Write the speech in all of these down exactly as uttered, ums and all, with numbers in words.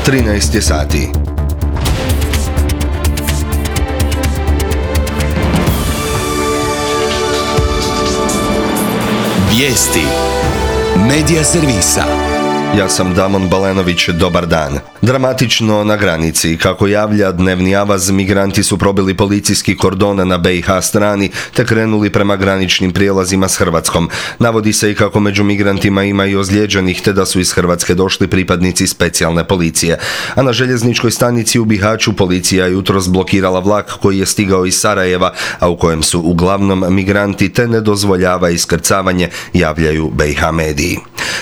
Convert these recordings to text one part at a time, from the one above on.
trinaest je sati. Vijesti Medija servisa. Ja sam Damon Balenović, dobar dan. Dramatično na granici. Kako javlja dnevni avaz, migranti su probili policijski kordon na be i ha strani te krenuli prema graničnim prijelazima s Hrvatskom. Navodi se i kako među migrantima ima i ozlijeđenih te da su iz Hrvatske došli pripadnici specijalne policije. A na željezničkoj stanici u Bihaću policija jutros blokirala vlak koji je stigao iz Sarajeva, a u kojem su uglavnom migranti te ne dozvoljava iskrcavanje, javljaju be i ha mediji.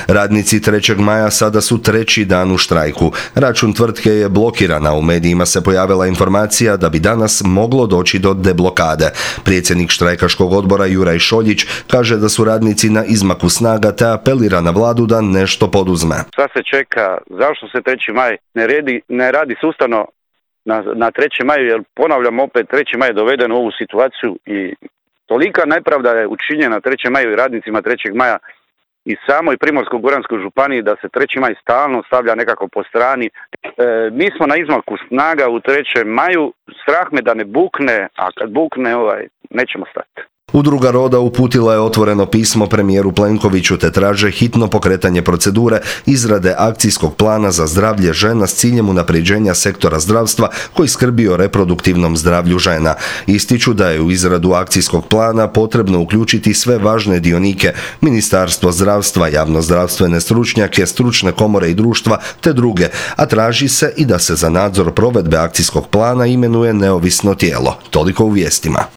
Radnici trećeg maja sada su treći dan u štrajku. Račun tvrtke je blokiran, a u medijima se pojavila informacija da bi danas moglo doći do deblokade. Predsjednik štrajkaškog odbora Juraj Šoljić kaže da su radnici na izmaku snaga te apelira na vladu da nešto poduzme. Sad se čeka, zašto se treći maj ne radi, ne radi sustavno na, na trećem maju, jer ponavljam opet, treći maj je doveden u ovu situaciju i tolika nepravda je učinjena trećem maju i radnicima trećeg maja i samoj Primorsko-goranskoj županiji da se treći maj stalno stavlja nekako po strani. E, mi smo na izmaku snaga u trećem maju, strah me da ne bukne, a kad bukne ovaj, nećemo stati. Udruga Roda uputila je otvoreno pismo premijeru Plenkoviću te traže hitno pokretanje procedure izrade akcijskog plana za zdravlje žena s ciljem unapređenja sektora zdravstva koji skrbi o reproduktivnom zdravlju žena. Ističu da je u izradu akcijskog plana potrebno uključiti sve važne dionike, Ministarstvo zdravstva, javnozdravstvene stručnjake, stručne komore i društva te druge, a traži se i da se za nadzor provedbe akcijskog plana imenuje neovisno tijelo. Toliko u vijestima.